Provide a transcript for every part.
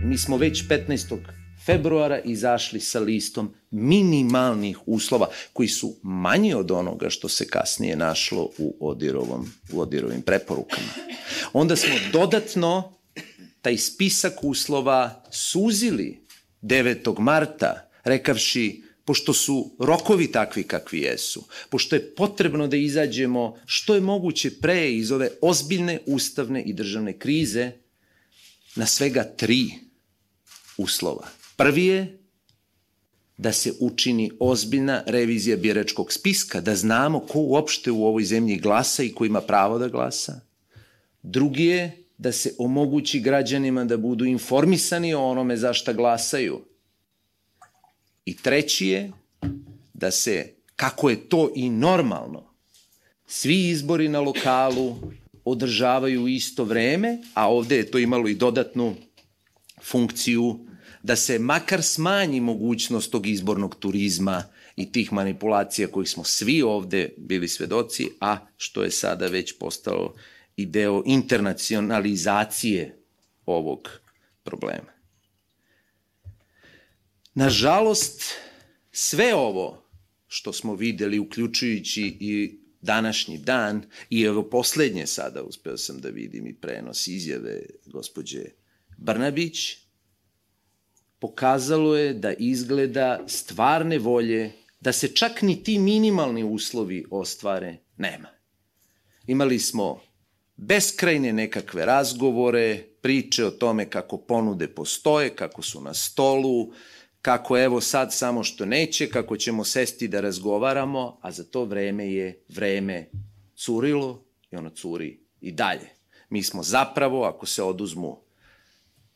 Mi smo već 15. februara izašli sa listom minimalnih uslova koji su manji od onoga što se kasnije našlo u ODIHR-ovim preporukama. Onda smo dodatno taj spisak uslova suzili 9. marta, rekavši, pošto su rokovi takvi kakvi jesu, pošto je potrebno da izađemo što je moguće pre iz ove ozbiljne ustavne i državne krize, na svega 3 uslova. Prvi je da se učini ozbiljna revizija biračkog spiska, da znamo ko uopšte u ovoj zemlji glasa i ko ima pravo da glasa. Drugi je da se omogući građanima da budu informisani o onome za šta glasaju. I treći je da se, kako je to i normalno, svi izbori na lokalu održavaju u isto vreme, a ovde je to imalo i dodatnu funkciju da se makar smanji mogućnost tog izbornog turizma i tih manipulacija kojih smo svi ovde bili svedoci, a što je sada već postalo i deo internacionalizacije ovog problema. Nažalost, sve ovo što smo videli, uključujući i današnji dan, i evo poslednje sada, uspeo sam da vidim i prenos izjave gospođe Brnabić, pokazalo je da izgleda stvarne volje da se čak ni ti minimalni uslovi ostvare nema. Imali smo beskrajne nekakve razgovore, priče o tome kako ponude postoje, kako su na stolu, kako evo sad samo što neće, kako ćemo sesti da razgovaramo, a za to vreme je vreme curilo i ono curi i dalje. Mi smo zapravo, ako se oduzmu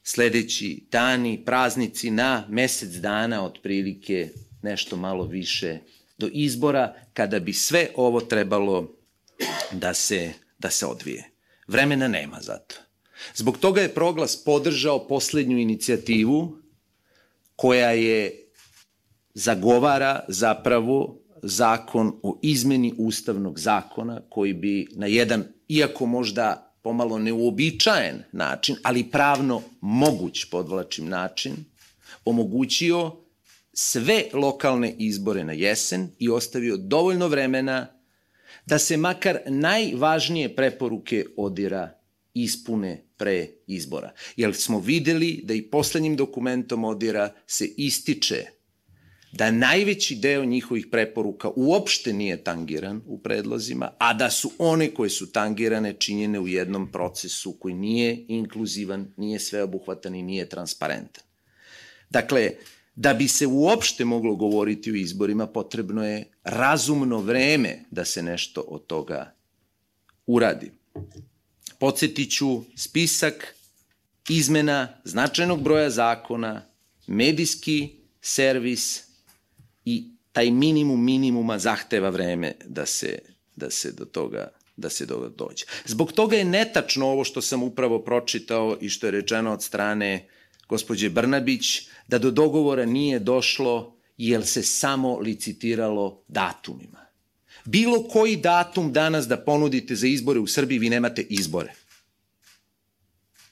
sledeći dani, praznici, na mesec dana otprilike nešto malo više do izbora, kada bi sve ovo trebalo da se odvije. Vremena nema za to. Zbog toga je Proglas podržao poslednju inicijativu koja je zagovara zapravo zakon o izmeni ustavnog zakona koji bi na jedan, iako možda pomalo neuobičajen način, ali pravno moguć, podvlačim način, omogućio sve lokalne izbore na jesen i ostavio dovoljno vremena da se makar najvažnije preporuke ODIHR-a ispune pre izbora. Jer smo videli da i poslednjim dokumentom ODIHR-a se ističe da najveći deo njihovih preporuka uopšte nije tangiran u predlozima, a da su one koje su tangirane činjene u jednom procesu koji nije inkluzivan, nije sveobuhvatan i nije transparentan. Dakle, da bi se uopšte moglo govoriti o izborima, potrebno je razumno vreme da se nešto od toga uradi. Podsjetiću spisak izmena značajnog broja zakona, medijski servis i taj minimum minimuma zahteva vreme da se do toga dođe. Zbog toga je netačno ovo što sam upravo pročitao i što je rečeno od strane gospođe Brnabić, da do dogovora nije došlo jer se samo licitiralo datumima. Bilo koji datum danas da ponudite za izbore u Srbiji, vi nemate izbore.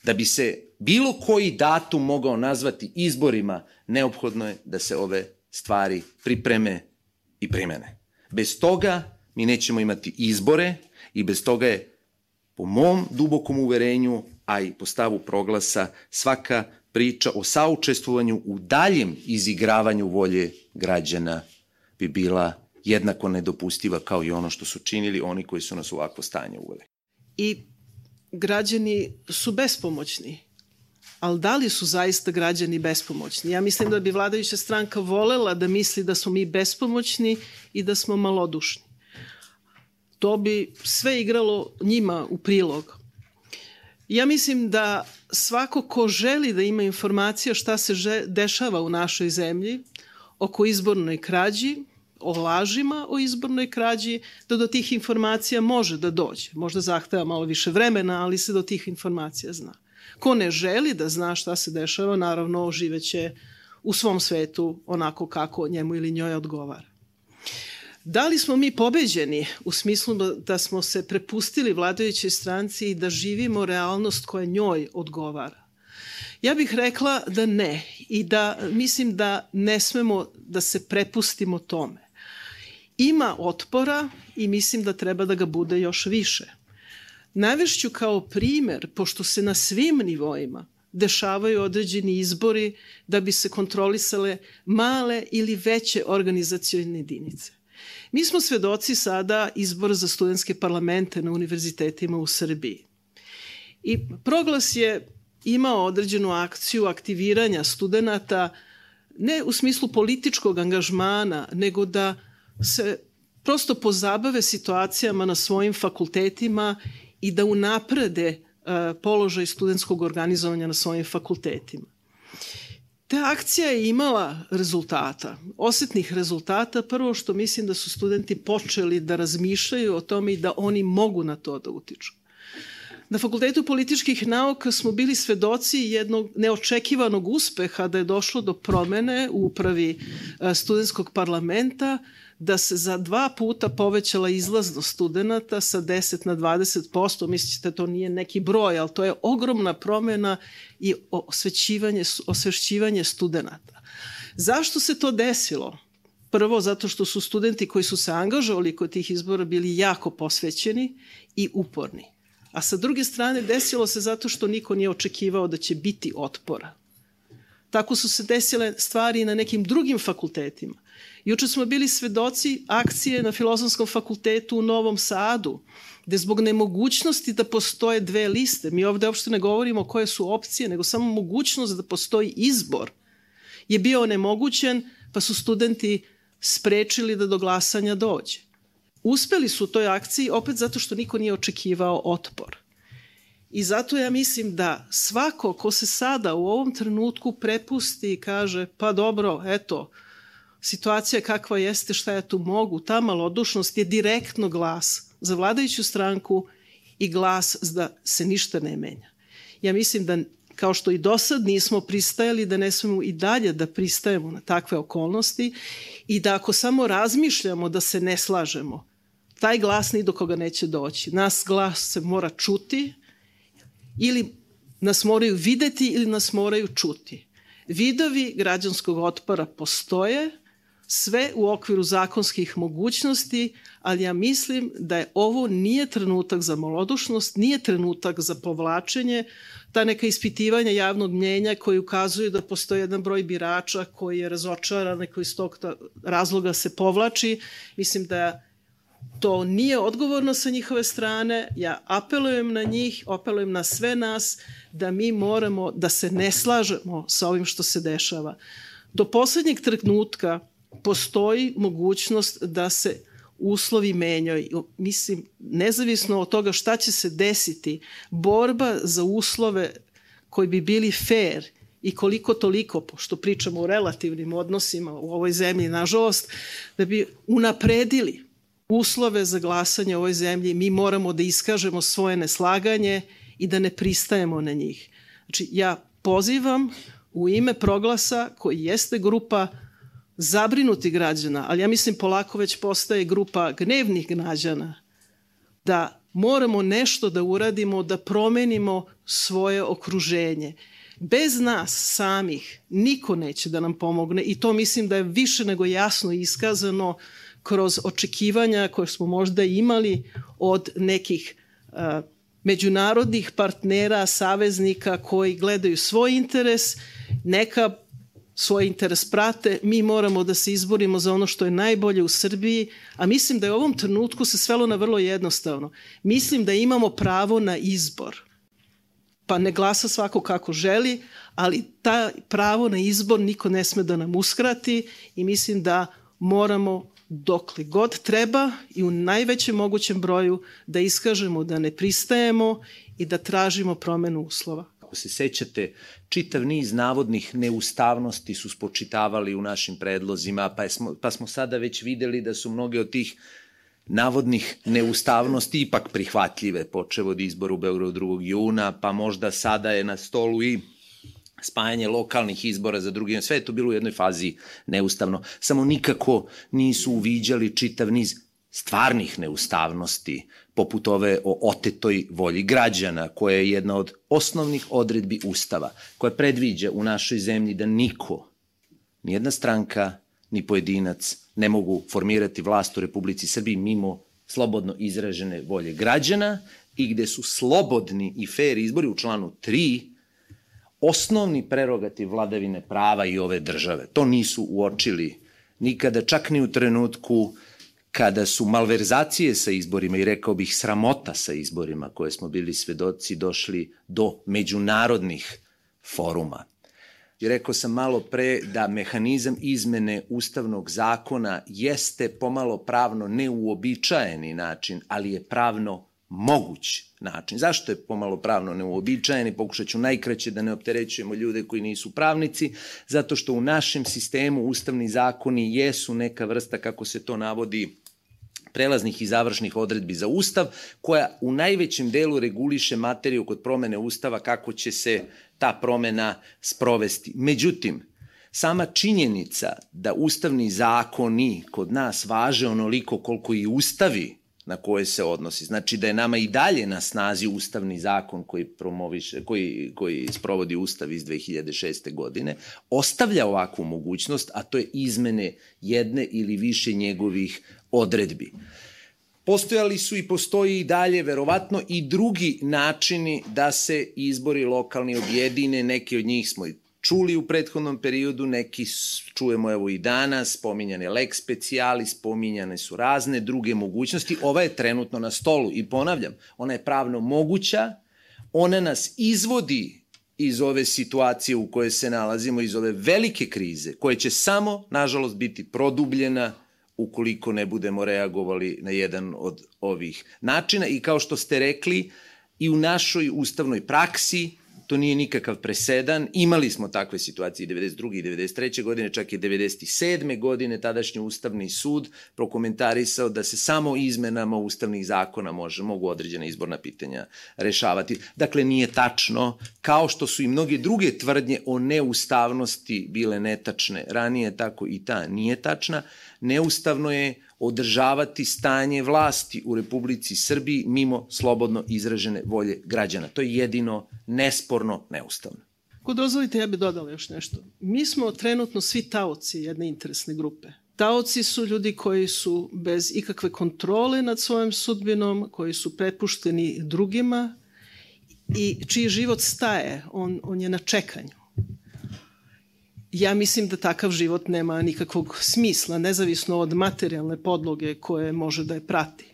Da bi se bilo koji datum mogao nazvati izborima, neophodno je da se ove stvari pripreme i primene. Bez toga mi nećemo imati izbore i bez toga je, po mom dubokom uverenju, a i po stavu Proglasa, svaka priča o saučestvovanju u daljem izigravanju volje građana bi bila jednako nedopustiva kao i ono što su činili oni koji su nas u ovakvo stanje uveli. I građani su bespomoćni. Ali da li su zaista građani bespomoćni? Ja mislim da bi vladajuća stranka volela da misli da smo mi bespomoćni i da smo malodušni. To bi sve igralo njima u prilog. Ja mislim da svako ko želi da ima informacije o šta se dešava u našoj zemlji, oko izbornoj krađi, o lažima o izbornoj krađi, da do tih informacija može da dođe. Možda zahteva malo više vremena, ali se do tih informacija zna. Ko ne želi da zna šta se dešava, naravno živeće u svom svetu onako kako njemu ili njoj odgovara. Da li smo mi pobeđeni u smislu da smo se prepustili vladajućoj stranci i da živimo realnost koja njoj odgovara? Ja bih rekla da ne i da mislim da ne smemo da se prepustimo tome. Ima otpora i mislim da treba da ga bude još više. Navešću kao primer, pošto se na svim nivoima dešavaju određeni izbori da bi se kontrolisale male ili veće organizacione jedinice. Mi smo svedoci sada izbora za studentske parlamente na univerzitetima u Srbiji. I Proglas je imao određenu akciju aktiviranja studenata, ne u smislu političkog angažmana, nego da se prosto pozabave situacijama na svojim fakultetima i da unaprede položaj studentskog organizovanja na svojim fakultetima. Ta akcija je imala rezultata, osetnih rezultata. Prvo što mislim da su studenti počeli da razmišljaju o tome i da oni mogu na to da utiču. Na Fakultetu političkih nauka smo bili svedoci jednog neočekivanog uspeha da je došlo do promene u upravi studentskog parlamenta, da se za 2 puta povećala izlaznost studenta sa 10 na 20%. Mislite, to nije neki broj, ali to je ogromna promena i osvešćivanje studenta. Zašto se to desilo? Prvo, zato što su studenti koji su se angažovali kod tih izbora bili jako posvećeni i uporni. A sa druge strane, desilo se zato što niko nije očekivao da će biti otpora. Tako su se desile stvari i na nekim drugim fakultetima. Juče smo bili svedoci akcije na Filozofskom fakultetu u Novom Sadu, gde zbog nemogućnosti da postoje 2 liste, mi ovde uopšte ne govorimo koje su opcije, nego samo mogućnost da postoji izbor, je bio onemogućen, pa su studenti sprečili da do glasanja dođe. Uspeli su u toj akciji opet zato što niko nije očekivao otpor. I zato ja mislim da svako ko se sada u ovom trenutku prepusti i kaže pa dobro, eto, situacija kakva jeste, šta ja tu mogu, ta malodušnost je direktno glas za vladajuću stranku i glas da se ništa ne menja. Ja mislim da kao što i do sad nismo pristajali, da ne smemo i dalje da pristajemo na takve okolnosti i da ako samo razmišljamo da se ne slažemo, taj glas ni do koga neće doći. Nas glas se mora čuti, ili nas moraju videti ili nas moraju čuti. Vidovi građanskog otpora postoje, sve u okviru zakonskih mogućnosti, ali ja mislim da ovo nije trenutak za malodušnost, nije trenutak za povlačenje, ta neka ispitivanja javnog mnjenja koji ukazuju da postoji jedan broj birača koji je razočaran i koji iz tog razloga se povlači. Mislim da to nije odgovorno sa njihove strane. Ja apelujem na njih, apelujem na sve nas da mi moramo da se ne slažemo sa ovim što se dešava. Do poslednjeg trenutka postoji mogućnost da se uslovi menjaju. Mislim, nezavisno od toga šta će se desiti, borba za uslove koji bi bili fair i koliko toliko, pošto pričamo o relativnim odnosima u ovoj zemlji, nažalost, da bi unapredili uslove za glasanje u ovoj zemlji, mi moramo da iskažemo svoje neslaganje i da ne pristajemo na njih. Znači, ja pozivam u ime Proglasa, koji jeste grupa zabrinutih građana, ali ja mislim polako već postaje grupa gnevnih građana, da moramo nešto da uradimo, da promenimo svoje okruženje. Bez nas samih niko neće da nam pomogne i to mislim da je više nego jasno iskazano kroz očekivanja koje smo možda imali od nekih međunarodnih partnera, saveznika koji gledaju svoj interes, neka svoj interes prate, mi moramo da se izborimo za ono što je najbolje u Srbiji, a mislim da je u ovom trenutku se svelo na vrlo jednostavno. Mislim da imamo pravo na izbor. Pa ne glasa svako kako želi, ali ta pravo na izbor niko ne sme da nam uskrati i mislim da moramo dokle god treba i u najvećem mogućem broju da iskažemo da ne pristajemo i da tražimo promenu uslova. Ako se sećate, čitav niz navodnih neustavnosti su spočitavali u našim predlozima, pa smo sada već videli da su mnoge od tih navodnih neustavnosti ipak prihvatljive, počev od izbora u Beogradu 2. juna, pa možda sada je na stolu i spajanje lokalnih izbora za 2. jun. Sve je to bilo u jednoj fazi neustavno. Samo nikako nisu uviđali čitav niz stvarnih neustavnosti, poput ove o otetoj volji građana, koja je jedna od osnovnih odredbi Ustava, koja predviđa u našoj zemlji da niko, nijedna stranka, ni pojedinac ne mogu formirati vlast u Republici Srbiji mimo slobodno izražene volje građana i gde su slobodni i fair izbori u članu 3 osnovni prerogativ vladavine prava i ove države. To nisu uočili nikada, čak ni u trenutku kada su malverzacije sa izborima i rekao bih sramota sa izborima koje smo bili svedoci došli do međunarodnih foruma. I rekao sam malo pre da mehanizam izmene ustavnog zakona jeste pomalo pravno neuobičajeni način, ali je pravno moguć način. Zašto je pomalo pravno neuobičajeni? Pokušat ću najkraće da ne opterećujemo ljude koji nisu pravnici, zato što u našem sistemu ustavni zakoni jesu neka vrsta, kako se to navodi, prelaznih i završnih odredbi za Ustav, koja u najvećem delu reguliše materiju kod promene Ustava kako će se ta promena sprovesti. Međutim, sama činjenica da ustavni zakoni kod nas važe onoliko koliko i ustavi na koje se odnosi, znači da je nama i dalje na snazi ustavni zakon koji sprovodi Ustav iz 2006. godine, ostavlja ovakvu mogućnost, a to je izmene jedne ili više njegovih odredbi. Postojali su i postoji i dalje verovatno i drugi načini da se izbori lokalni objedine, neki od njih smo i čuli u prethodnom periodu, neki čujemo evo i danas, spominjane lex specialis, spominjane su razne druge mogućnosti. Ova je trenutno na stolu i ponavljam, ona je pravno moguća, ona nas izvodi iz ove situacije u kojoj se nalazimo, iz ove velike krize, koja će samo, nažalost, biti produbljena ukoliko ne budemo reagovali na jedan od ovih načina. I kao što ste rekli, i u našoj ustavnoj praksi to nije nikakav presedan. Imali smo takve situacije i 92. i 93. godine, čak i 97. godine tadašnji Ustavni sud prokomentarisao da se samo izmenama ustavnih zakona mogu određena izborna pitanja rešavati. Dakle, nije tačno, kao što su i mnoge druge tvrdnje o neustavnosti bile netačne ranije, tako i ta nije tačna. Neustavno je održavati stanje vlasti u Republici Srbiji mimo slobodno izražene volje građana. To je jedino nesporno neustavno. Ako dozvolite, ja bih dodala još nešto. Mi smo trenutno svi taoci jedne interesne grupe. Taoci su ljudi koji su bez ikakve kontrole nad svojom sudbinom, koji su prepušteni drugima i čiji život staje, on je na čekanju. Ja mislim da takav život nema nikakvog smisla, nezavisno od materijalne podloge koje može da je prati.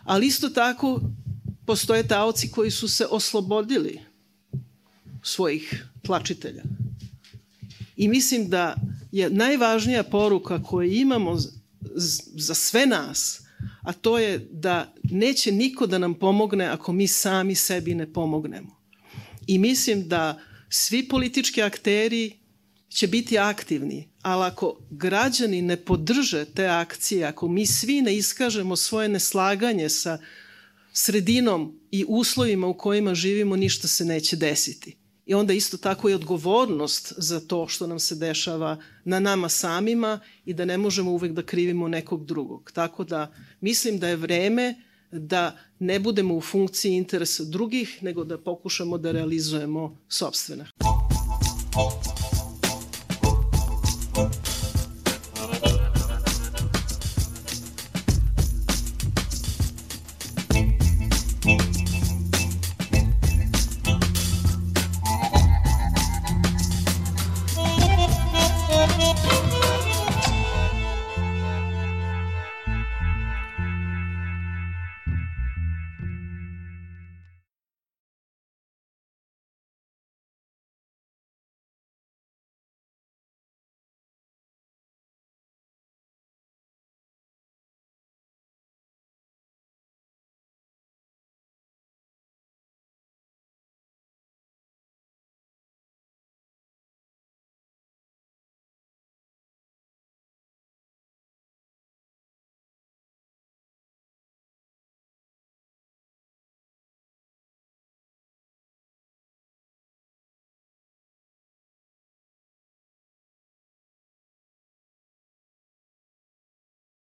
Ali isto tako postoje taoci koji su se oslobodili svojih tlačitelja. I mislim da je najvažnija poruka koju imamo za sve nas, a to je da neće niko da nam pomogne ako mi sami sebi ne pomognemo. I mislim da svi politički akteri će biti aktivni, ali ako građani ne podrže te akcije, ako mi svi ne iskažemo svoje neslaganje sa sredinom i uslovima u kojima živimo, ništa se neće desiti. I onda isto tako je odgovornost za to što nam se dešava na nama samima i da ne možemo uvek da krivimo nekog drugog. Tako da mislim da je vreme da ne budemo u funkciji interesa drugih, nego da pokušamo da realizujemo sopstvene.